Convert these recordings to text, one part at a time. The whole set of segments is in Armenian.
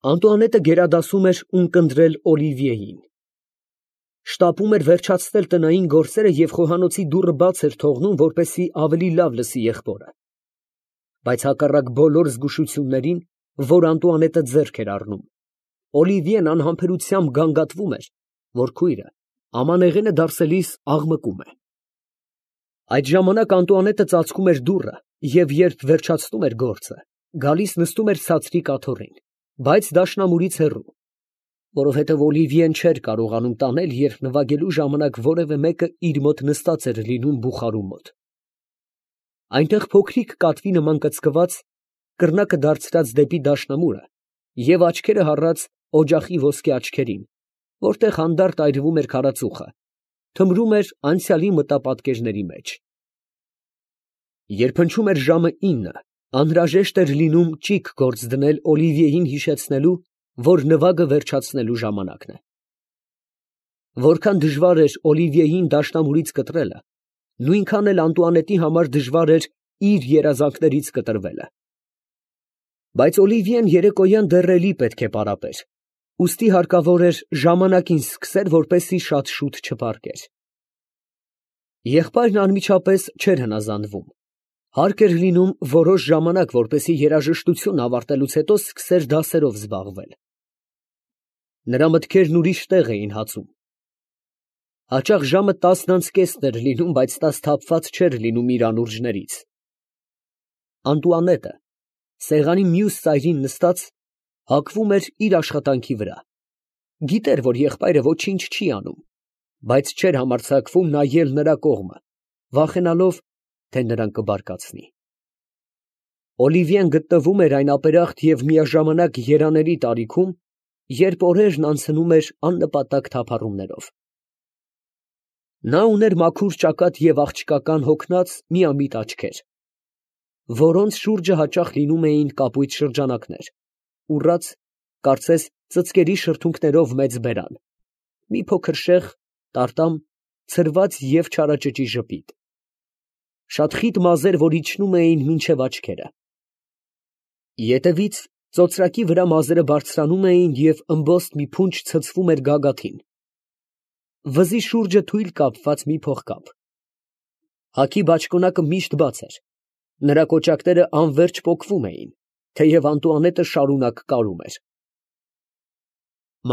Անտուանետը գերադասում էր ունկնդրել Օլիվիեին։ Շտապում էր վերջացնել տնային գործերը և խոհանոցի դուռը բաց էր թողնում, որպեսզի ավելի լավ լսի եղբորը։ Բայց հակառակ բոլոր զգուշություններին, որ Անտուանետը ձեռք էր առնում, Օլիվիեն անհամբերությամբ գանգատվում էր, որ քույրը ամանեղենը դարսելիս աղմկում է։ Այդ ժամանակ Անտուանետը ծածկում էր դուռը և երբ վերջացնում էր գործը, գալիս նստում էր ցածրիկ աթոռին, բայց դաշնամուրից հեռու, որովհետև Օլիվիեն չէր կարողանում տանել, երբ նվագելու ժամանակ որևէ մեկը իր մոտ նստած էր լինում բուխարու մոտ։ Այնտեղ փոքրիկ կատվի նման կծկված, կռնակը դարձրած դեպի դաշնամուրը և աչքերը հառած օջախի ոսկե աչքերին, որտեղ հանդարտ այրվում էր քարածուխը, թմրում էր անցյալի մտապատկերների մեջ։ Երբ հնչում էր ժամը 9, անհրաժեշտ էր լինում ճիգ գործ դնել Օլիվիեին հիշեցնելու, որ նվագը վերջացնելու ժամանակն է։ Որքան դժվար էր Օլիվիեին դաշնամուրից կտրելը, նույնքան էլ Անտուանետի համար դժվար էր իր երազանքներից կտրվելը։ Բայց Օլիվիեն երեկոյան դեռ էլի պետք է պարապեր, ուստի հարկավոր էր ժամանակին սկսեր, որպեսզի շատ շուտ չպառկեր։ Եղբայրն անմիջապես չէր հնազանդվում, հարկ էր լինում որոշ ժամանակ, որպեսզի երաժշտությունն ավարտելուց հետո սկսեր դասերով զբաղվել։ Նրա մտքերն ուրիշ տեղ էին հացում։ Հաճախ ժամը 10:30 էր լինում, բայց նա սթափված չէր լինում իր անուրջներից։ Անտուանետը, սեղանի մյուս ծայրին նստած, հակվում էր իր աշխատանքի վրա, գիտեր, որ եղբայրը ոչինչ չի անում, բայց չէր համարձակվում նայել նրա կողմը, վախենալով, թե նրան կբարկացնի։ Օլիվիեն գտնվում էր այն ապերախտ և միաժամանակ երանելի տարիքում, երբ օրերն անցնում էր աննպատակ թափառումներով։ Նա ուներ մաքուր ճակատ և աղջկական հոգնած միամիտ աչքեր, որոնց շուրջը հաճախ լինում էին կապույտ շրջանակներ, ուռած, կարծես ծծկերի շրթունքներով մեծ բերան, մի փոքր շեղ, տարտամ, ցրված և չարաճճի ժպիտ, շատ խիտ մազեր, որ իջնում էին մինչև աչքերը։ Ետևից ծոծրակի վրա մազերը բարձրանում էին և ըմբոստ մի փունջ ցցվում էր գագաթին, վզի շուրջը թույլ կապված մի փողկապ։ Հագի բաճկոնակը միշտ բաց էր, նրա կոճակները անվերջ պոկվում էին, թեև Անտուանետը շարունակ կարում էր։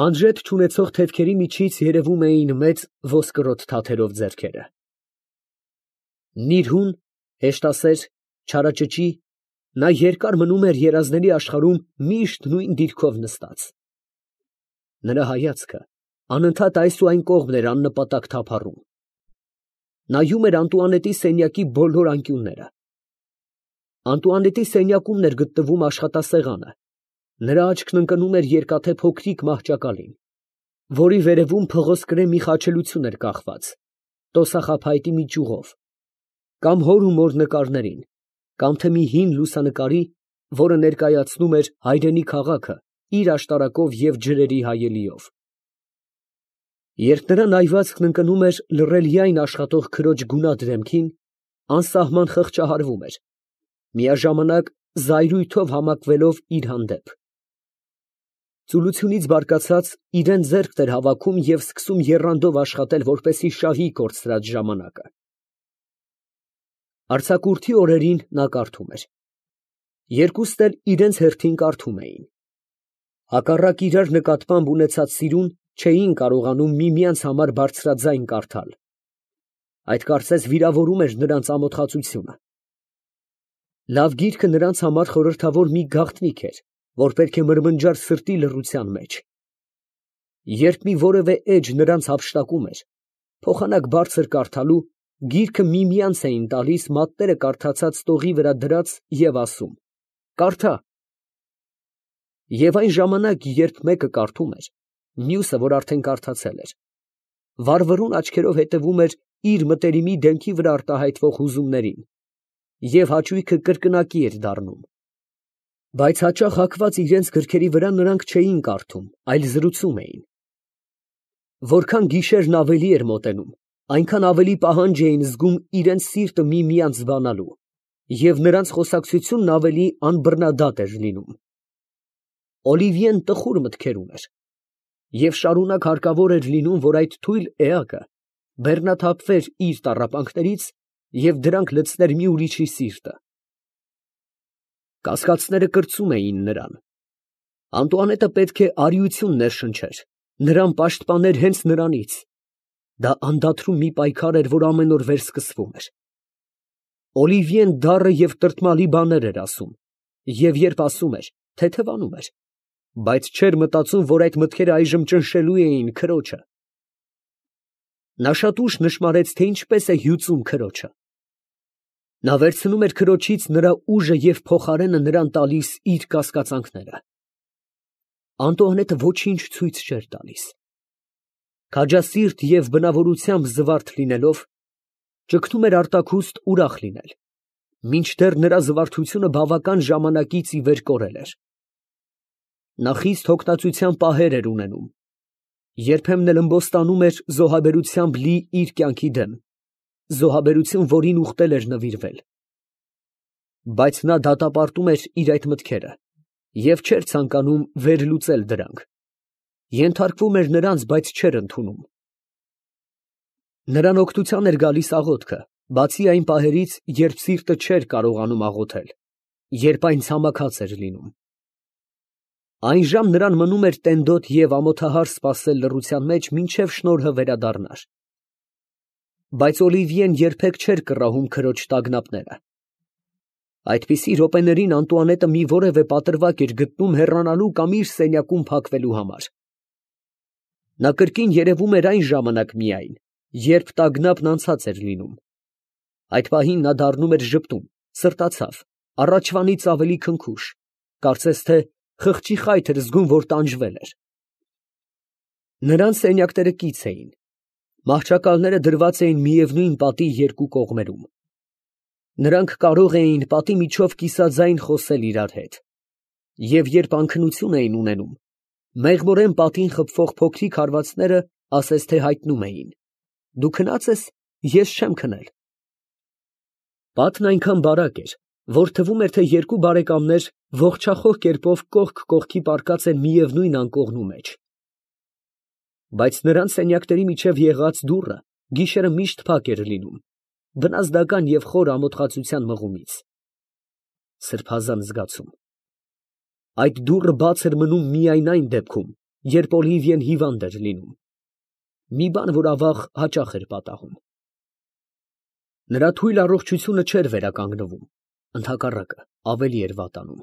Մանժետ չունեցող թևքերի միջից երևում էին մեծ ոսկրոտ թաթերով ձեռքերը։ Նիրհուն, հեշտասեր, չարաճճի, նա երկար մնում էր երազների աշխարհում միշտ նույն դիրքով նստած։ Նրա հայացքը անընդհատ այս ու այն կողմն էր աննպատակ թափառում։ Նայում էր Անտուանետի սենյակի բոլոր անկյունները։ Անտուանետի սենյակումն էր գտնվում աշխատասեղանը, նրա աչքն ընկնում էր երկաթե փոքրիկ մահճակալին, որի վերևում փղոսկրե մի խաչելություն էր կախված, տոսախաբայտի մի ճյուղով, կամ հոր ու մոր նկարներին, կամ թե մի հին լուսանկարի, որը ներկայացնում էր հայրենի քաղաքը իր աշտարակով և ջրերի հայելիով։ Երբ նրա նայվածքն ընկնում էր լռելիայն աշխատող քրոջ գունատ դեմքին, անսահման խղճահարվում էր, միաժամանակ զայրույթով համակվելով իր հանդեպ։ Ծուլությունից բարկացած, իրան ձեռքն էր հավաքում և սկսում եռանդով աշխատել, որպեսզի շահի կորցրած ժամանակը։ Արձակուրդի օրերին նա կարդում էր։ Երկուսն էլ իրենց հերթին կարդում էին։ Հակառակ իրար նկատմամբ ունեցած սիրուն, չէին կարողանում միմյանց համար բարձրաձայն կարդալ։ Այդ կարծես վիրավորում էր նրանց ամոթխածությունը։ Լավ գիրքը նրանց համար խորհրդավոր մի գաղտնիք էր, որ պետք է մրմնջար սրտի լռության մեջ։ Երբ մի որևէ էջ նրանց հափշտակում էր, փոխանակ բարձր կարդալու, գիրքը միմյանց էին տալիս մատները կարդացած տողի վրա դրած և ասում. «Կարդա»։ Եվ այն ժամանակ, երբ մեկը կարդում էր, մյուսը, որ արդեն կարդացել էր, վառվռուն աչքերով հետևում էր իր մտերիմի դեմքի վրա արտահայտվող հուզումներին, և հաճույքը կրկնակի էր դառնում։ Բայց հաճախ հագված իրենց գրքերի վրա նրանք չէին կարդում, այլ զրուցում էին։ Որքան գիշերն ավելի էր մոտենում, այնքան ավելի պահանջ էին զգում իրենց սիրտը միմյանց բանալու, և նրանց խոսակցությունն ավելի անբռնադատ էր լինում։ Օլիվիեն տխուր մտքեր ուներ, և շարունակ հարկավոր էր լինում, որ այդ թույլ էակը բեռնաթափվեր իր տառապանքներից և դրանք լցներ մի ուրիշի սիրտը։ Կասկածները կրծում էին նրան։ Անտուանետը պետք է արիություն ներշնչեր, նրան պաշտպաներ հենց նրանից։ Դա անդադրում մի պայքար էր, որ ամեն օր վերսկսվում էր։ Օլիվիեն դառը և տրտմալի բաներ էր ասում, և երբ ասում էր, թեթևանում էր, բայց չէր մտածում, որ այդ մտքերը այժմ ճնշելու էին քրոջը։ Նա շատ ուշ նշմարեց, թե ինչպես է հյուծում քրոջը։ Նա վերցնում էր քրոջից նրա ուժը և փոխարենը նրան տալիս իր կասկածանքները։ Անտուանետը ոչինչ ցույց չէր տալիս։ Քաջասիրտ և բնավորությամբ զվարթ լինելով, ճգնում էր արտաքուստ ուրախ լինել, մինչդեռ նրա զվարթությունը բավական ժամանակից ի վեր կորել էր։ Նա խիստ հոգնածության պահեր էր ունենում, երբեմն էլ ըմբոստանում էր զոհաբերությամբ լի իր կյանքի դեմ, զոհաբերություն, որին ուխտել էր նվիրվել։ Բայց նա դատապարտում էր իր այդ մտքերը և չէր ցանկանում վերլուծել դրանք, ենթարկվում էր նրանց, բայց չէր ընդունում։ Նրան օգնության էր գալիս աղոթքը, բացի այն պահերից, երբ սիրտը չէր կարողանում աղոթել, երբ այն ցամաքած էր լինում։ Այնժամ նրան մնում էր տենդոտ և ամոթահար սպասել լռության մեջ, մինչև շնորհը վերադառնար։ Բայց Օլիվիեն երբեք չէր կռահում քրոջ տագնապները։ Այդպիսի րոպեներին Անտուանետը մի որևէ պատրվակ էր գտնում հեռանալու կամ իր սենյակում փակվելու համար։ Նա կրկին երևում էր այն ժամանակ միայն, երբ տագնապն անցած էր լինում։ Այդ պահին նա դառնում էր ժպտուն, սրտացավ, առաջվանից ավելի քնքուշ, կարծես թե խղճի խայթ էր զգում, որ տանջվել էր։ Նրանց սենյակները կից էին։ Մահճակալները դրված էին միևնույն պատի երկու կողմերում։ Նրանք կարող էին պատի միջով կիսաձայն խոսել իրար հետ, և երբ անքնություն էին ունենում, մեղմորեն պատին խփվող փոքրիկ հարվածները ասես թե հայտնում էին. «Դու քնա՞ծ ես, ես չեմ քնել»։ Պատն այնքան բարակ էր, որ թվում էր, թե երկու բարեկամներ ողջախոհ կերպով կողք կողքի պառկած են միևնույն անկողնու մեջ։ Բայց նրանց սենյակների միջև եղած դուռը գիշերը միշտ փակ էր լինում, վնասդական և խոր ամոթխածության մղումից։ Սրբազան զգացում։ Այդ դուռը բաց էր մնում միայն այն դեպքում, երբ Օլիվիեն հիվանդ էր լինում, մի բան, որ ավաղ հաճախ էր պատահում։ Նրա թույլ առողջությունը չէր վերականգնվում, ընդհակառակը, ավելի էր վատանում։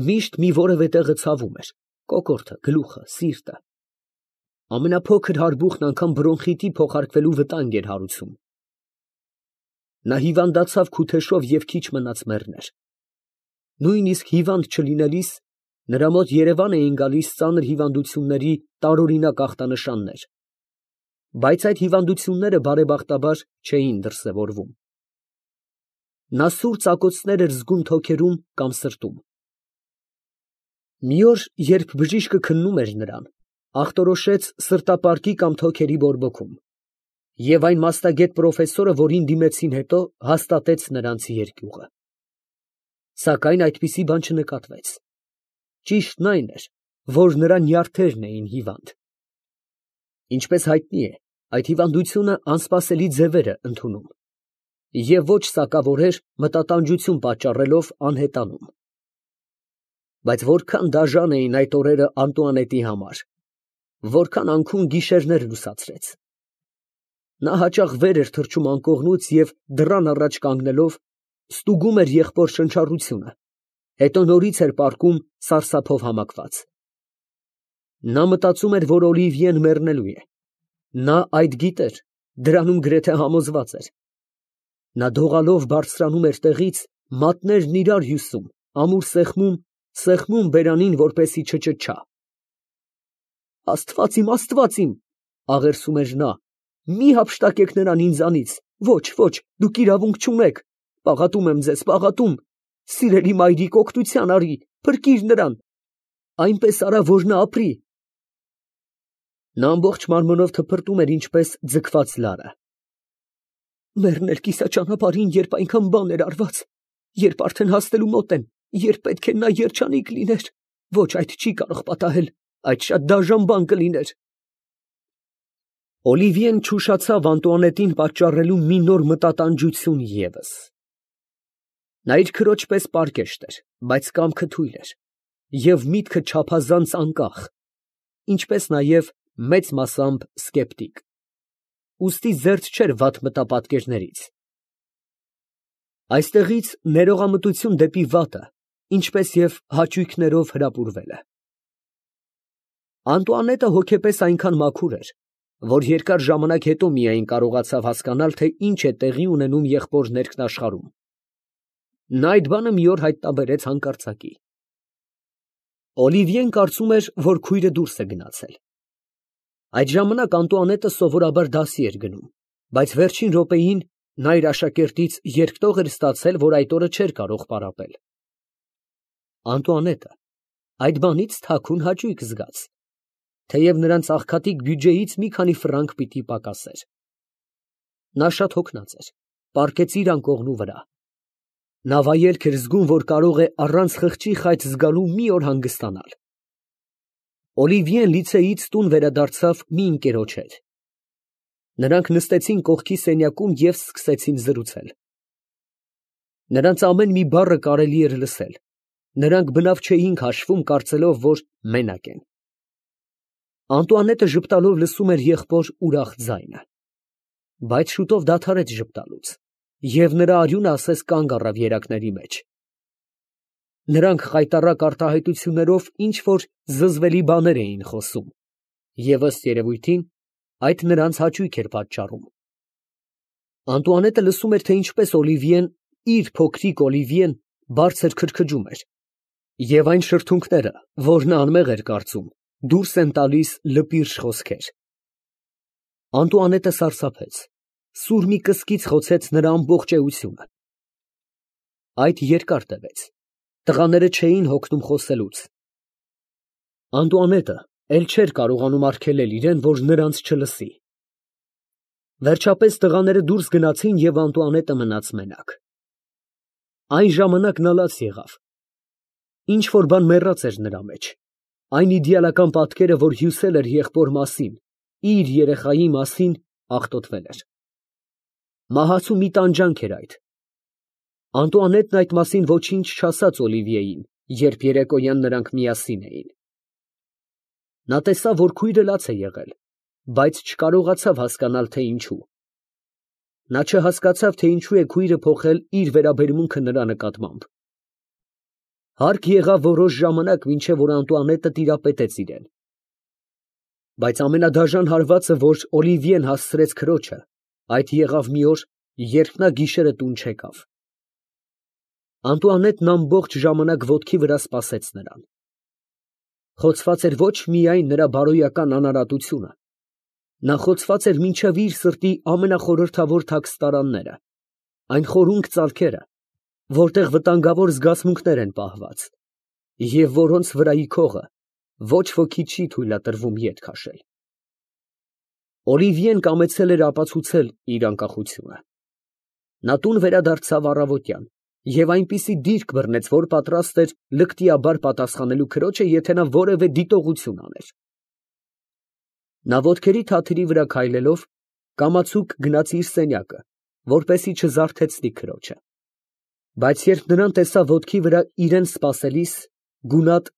Միշտ մի որևէ տեղը ցավում էր, կոկորդը, գլուխը, սիրտը։ Ամենափոքր հարբուխն անգամ բրոնխիտի փոխարկվելու վտանգ էր հարուցում։ Նա հիվանդացավ քութեշով և քիչ մնաց մեռներ։ Նույնիսկ հիվանդ չլինելիս, նրա մոտ երևան էին գալիս ծանր հիվանդությունների տարօրինակ ախտանշաններ, բայց այդ հիվանդությունները բարեբախտաբար չէին դրսևորվում։ Նա սուր ծակոցներ էր զգում թոքերում կամ սրտում։ Մի օր, երբ բժիշկը քննում էր նրան, ախտորոշեց սրտապարկի կամ թոքերի բորբոքում, և այն մասնագետ պրոֆեսորը, որին դիմեցին հետո, հաստատեց նրանց երկյուղը։ Սակայն այդպիսի բան չնկատվեց։ Ճիշտն այն էր, որ նրա նյարդերն էին հիվանդ։ Ինչպես հայտնի է, այդ հիվանդությունը անսպասելի ձևեր է ընդունում և ոչ սակավոր էր մտատանջություն պատճառելով անհետանում։ Բայց որքան դաժան էին այդ օրերը Անտուանետի համար, որքան անքուն գիշերներ լուսացրեց։ Նա հաճախ վեր էր թռչում անկողնուց և դռան առաջ կանգնելով ստուգում էր եղբոր շնչառությունը, հետո նորից էր պառկում սարսափով համակված։ Նա մտածում էր, որ Օլիվիեն մեռնելու է։ Նա այդ գիտեր, դրանում գրեթե համոզված էր։ Նա դողալով բարձրանում էր տեղից, մատներն իրար հյուսում, ամուր սեղմում բերանին, որպեսզի չճչա։ Աստված իմ, աղերսում էր նա, մի հափշտակեք նրան ինձանից, ոչ, դուք իրավունք չունեք, պաղատում եմ ձեզ, պաղատում, սիրելի մայրիկ, օգնության արի, փրկիր նրան, այնպես արա, որ նա ապրի։ Նա ամբողջ մարմնով թփրտում էր ինչպես ձգված լարը։ Մեռնել կիսաճանապարհին, երբ այնքան բան էր արված, երբ արդեն հասնելու մոտ են, երբ պետք է նա երջանիկ լիներ, Ոչ, այդ չի կարող պատահել, այդ շատ դաժան բան կլիներ։ Օլիվիեն չուշացավ Անտուանետին պատճառելու մի նոր մտատանջություն ևս։ Նա իր քրոջ պես պարկեշտ էր, բայց կամքը թույլ էր, և միտքը չափազանց անկախ, ինչպես նաև մեծ մասամբ սկեպտիկ։ Ուստի զերծ չէր վատ մտապատկերներից։ Այստեղից ներողամտություն դեպի վատը, ինչպես և հաճույքներով հրապուրվել է։ Անտուանետը հոգեպես այնքան մաքուր էր, որ երկար ժամանակ հետո միայն կարողացավ հասկանալ, թե ինչ է տեղի ունենում եղբոր ներքնաշխարհում։ Նա այդ բանը մի օր հայտնաբերեց հանկարծակի։ Օլիվիեն կարծում էր, որ քույրը դուրս է գնացել։ Այդ ժամանակ Անտուանետը սովորաբար դասի էր գնում, բայց վերջին րոպեին նա իր աշակերտից երկտող էր ստացել, որ այդ օրը չէր կարող պարապել։ Անտուանետը այդ բանից թաքուն հաճույք զգաց, թեև նրանց աղքատիկ բյուջեից մի քանի ֆրանկ պիտի պակասեր։ Նա շատ հոգնած էր, պառկեց իր անկողնու վրա։ Նա վայելք էր զգում, որ կարող է առանց խղճի խայծ զգալու մի օր հանգստանալ։ Օլիվիեն լիցեից տուն վերադարձավ մի ընկերոջ հետ։ Նրանք նստեցին կողքի սենյակում և սկսեցին զրուցել։ Նրանց ամեն մի բառը կարելի էր լսել։ Նրանք բնավ չէին քաշվում, կարծելով, որ մենակ են։ Անտուանետը ժպտալով լսում էր եղբոր ուրախ ձայնը, բայց շուտով դադարեց ժպտալուց, և նրա արյունը ասես կանգ առավ երակների մեջ։ Նրանք խայտառակ արտահայտություններով ինչ֊որ զզվելի բաներ էին խոսում, և ըստ երևույթին, այդ նրանց հաճույք էր պատճառում։ Անտուանետը լսում էր, թե ինչպես Օլիվիեն, իր փոքրիկ Օլիվիեն, բարձր քրքջում էր, և այն շրթունքները, որ նա անմեղ էր կարծում, դուրս են տալիս լպիրշ խոսքեր։ Անտուանետը սարսափեց, սուր մի կսկիծ խոցեց նրա ամբողջ էությունը։ Այդ երկար տևեց, տղաները չէին հոգնում խոսելուց։ Անտուանետը էլ չէր կարողանում արգելել իրեն, որ նրանց չլսի։ Վերջապես տղաները դուրս գնացին, և Անտուանետը մնաց մենակ։ Այն ժամանակ նա լաց եղավ։ Ինչ֊որ բան մեռած էր նրա մեջ, այն իդեալական պատկերը, որ հյուսել էր եղբոր մասին, իր երեխայի մասին, աղտոտվել էր։ Մահացու մի տանջանք էր այդ։ Անտուանետն այդ մասին ոչինչ չասաց Օլիվիեին, երբ երեկոյան նրանք միասին էին։ Նա տեսավ, որ քույրը լաց է եղել, բայց չկարողացավ հասկանալ, թե ինչու։ Նա չհասկացավ, թե ինչու է քույրը փոխել իր վերաբերմունքը նրա նկատմամբ։ Հարկ եղավ որոշ ժամանակ, մինչև որ Անտուանետը տիրապետեց իրեն։ Բայց ամենադաժան հարվածը, որ Օլիվիեն հասցրեց քրոջը, այդ եղավ մի օր, երբ նա գիշերը տուն չեկավ։ Անտուանետն ամբողջ ժամանակ ոտքի վրա սպասեց նրան։ Խոցված էր ոչ միայն նրա բարոյական անարատությունը, նա խոցված էր մինչև իր սրտի ամենախորհրդավոր թաքստարանները, այն խորունկ ծալքերը, որտեղ վտանգավոր զգացմունքներ են պահված, և որոնց վրայի քողը ոչ ոքի չի թույլատրվում ետ քաշել։ Օլիվիեն կամեցել էր ապացուցել իր անկախությունը։ Նա տուն վերադարձավ առավոտյան և այնպիսի դիրք բռնեց, որ պատրաստ էր լկտիաբար պատասխանելու քրոջը, եթե նա որևէ դիտողություն աներ։ Նա ոտքերի թաթերի վրա քայլելով, կամացուկ գնաց իր սենյակը, որպեսզի չզարթեցնի քրոջը։ Բայց երբ նրան տեսավ ոտքի վրա իրան սպասելիս, գունատ,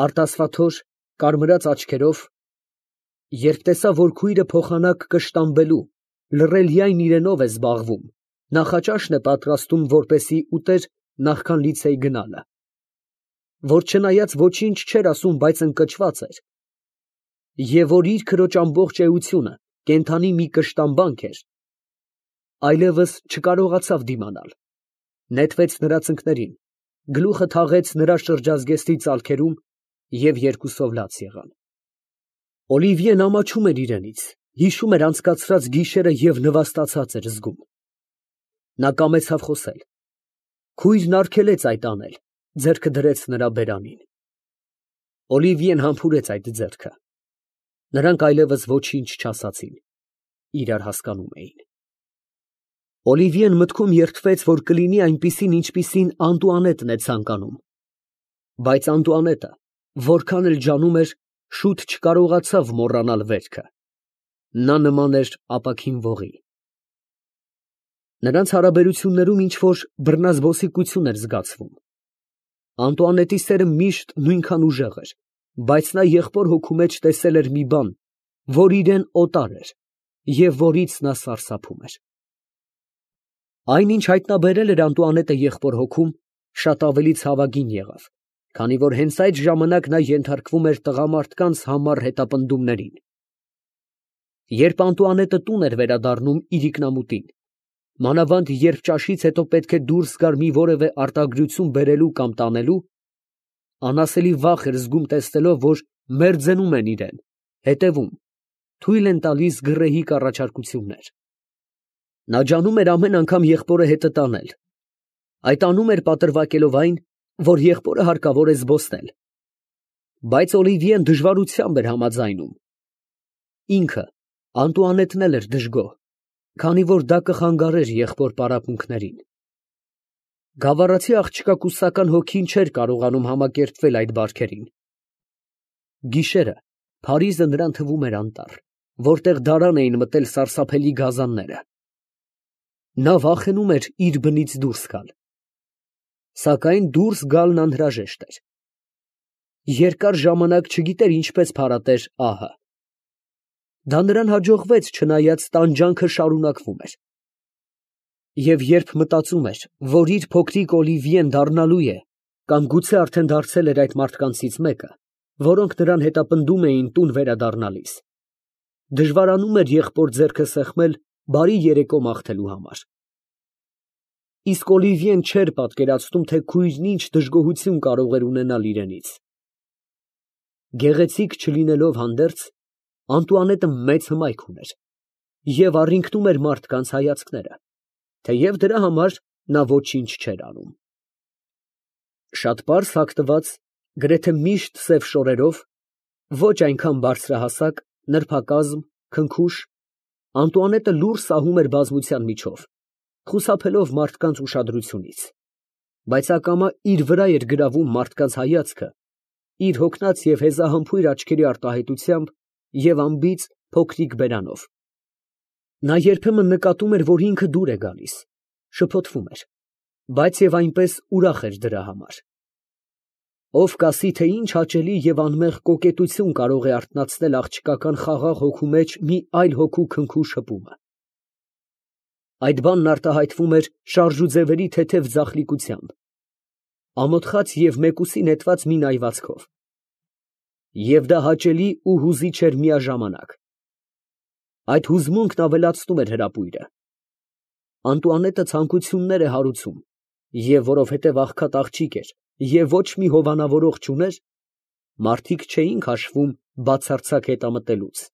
արտասվաթոր, կարմրած աչքերով, երբ տեսավ, որ քույրը փոխանակ կշտամբելու, լռելիայն իրենով է զբաղվում, նախաճաշն է պատրաստում, որպեսզի ուտեր նախքան լիցեյ գնալը, որ չնայած ոչինչ չէր ասում, բայց ընկճված էր, և որ իր քրոջ ամբողջ էությունը կենդանի մի կշտամբանք էր, այլևս չկարողացավ դիմանալ, նետվեց նրա ծնկներին, գլուխը թաղեց նրա շրջազգեստի ծալքերում և երկուսով լաց եղան։ Օլիվիեն ամաչում էր իրենից, հիշում էր անցկացրած գիշերը և նվաստացած էր զգում։ Նա կամեցավ խոսել։ Քույրն արգելեց այդ անել, ձեռքը դրեց նրա բերանին։ Օլիվիեն համբուրեց այդ ձեռքը։ Նրանք այլևս ոչինչ չասացին, իրար հասկանում էին։ Օլիվիեն մտքում երդվեց, որ կլինի այնպիսին, ինչպիսին Անտուանետն է ցանկանում, բայց Անտուանետը Որքան էլ ջանում էր, շուտ չկարողացավ մոռանալ վերքը. նա նման էր ապակին ողի։ Նրանց հարաբերություններում ինչ֊որ բռնազբոսիկություն էր զգացվում։ Անտուանետի սերը միշտ նույնքան ուժեղ էր, բայց նա եղբոր հոգու մեջ տեսել էր մի բան, որ իրան օտար էր և որից նա սարսափում էր։ Այն, ինչ հայտնաբերել էր Անտուանետը եղբոր հոգում, շատ ավելի ցավագին եղավ, քանի որ հենց այդ ժամանակ նա ենթարկվում էր տղամարդկանց համառ հետապնդումներին։ Երբ Անտուանետը տուն էր վերադառնում իր ինքնամուտին, մանավանդ երբ ճաշից հետո պետք է դուրս գար մի որևէ արտադրություն բերելու կամ տանելու, անասելի վախ էր զգում տեսնելով, որ մերձենում են իրան, հետևում, թույլ են տալիս գռեհիկ առաջարկություններ։ Նա ջանում էր ամեն անգամ եղբորը հետը տանել, այդ անում էր պատրվակելով այն, որ եղբորը հարկավոր է զբոսնել։ Բայց Օլիվիեն դժվարությամբ էր համաձայնում։ Ինքը, Անտուանետն էլ էր դժգոհ, քանի որ դա կխանգարեր եղբոր պարապմունքներին։ Գավառացի աղջկա կուսական հոգին չէր կարողանում համակերպվել այդ բարքերին։ Գիշերը Փարիզը նրան թվում էր անտառ, որտեղ դարան էին մտել սարսափելի գազանները։ Նա վախենում էր իր բնից դուրս գալ։ Սակայն դուրս գալն անհրաժեշտ էր։ Երկար ժամանակ չգիտեր ինչպես փարատեր ահը։ Դա նրան հաջողվեց, չնայած տանջանքը շարունակվում էր։ Եվ երբ մտածում էր, որ իր փոքրիկ Օլիվիեն դառնալու է, կամ գուցե արդեն դարձել էր այդ մարդկանցից մեկը, որոնք նրան հետապնդում էին տուն վերադառնալիս, դժվարանում էր եղբոր ձեռքը սեղմել բարի երեկո մաղթելու համար։ Իսկ Օլիվիեն չէր պատկերացնում, թե քույրն ինչ դժգոհություն կարող էր ունենալ իրենից։ Գեղեցիկ չլինելով հանդերձ, Անտուանետը մեծ հմայք ուներ և առինքնում էր մարդկանց հայացքները, թեև դրա համար նա ոչինչ չէր անում։ Շատ պարզ հագնված, գրեթե միշտ սև շորերով, ոչ այնքան բարձրահասակ, նրբակազմ, քնքուշ, Անտուանետը լուռ սահում էր բազմության միջով, խուսափելով մարդկանց ուշադրությունից, բայց ակամա իր վրա էր գրավում մարդկանց հայացքը, իր հոգնած և հեզահամբույր աչքերի արտահայտությամբ և անբիծ փոքրիկ բերանով։ Նա երբեմն նկատում էր, որ ինքը դուր է գալիս, շփոթվում էր, բայց և այնպես ուրախ էր դրա համար։ Ով կասի, թե ինչ հաճելի և անմեղ կոկետություն կարող է արթնացնել աղջկական խաղաղ հոգու մեջ մի այլ հոգու քնքուշ հպումը։ Այդ բանն արտահայտվում էր շարժուձևերի թեթև ձախլիկությամբ, ամոթխած և մեկուսի նետված մի նայվածքով։ Եվ դա հաճելի ու հուզիչ էր միաժամանակ։ Այդ հուզմունքն ավելացնում էր հրապույրը։ Անտուանետը ցանկություններ է հարուցում, և որովհետև աղքատ աղջիկ էր և ոչ մի հովանավորող չուներ, մարդիկ չէին քաշվում բացարձակ հետամտելուց։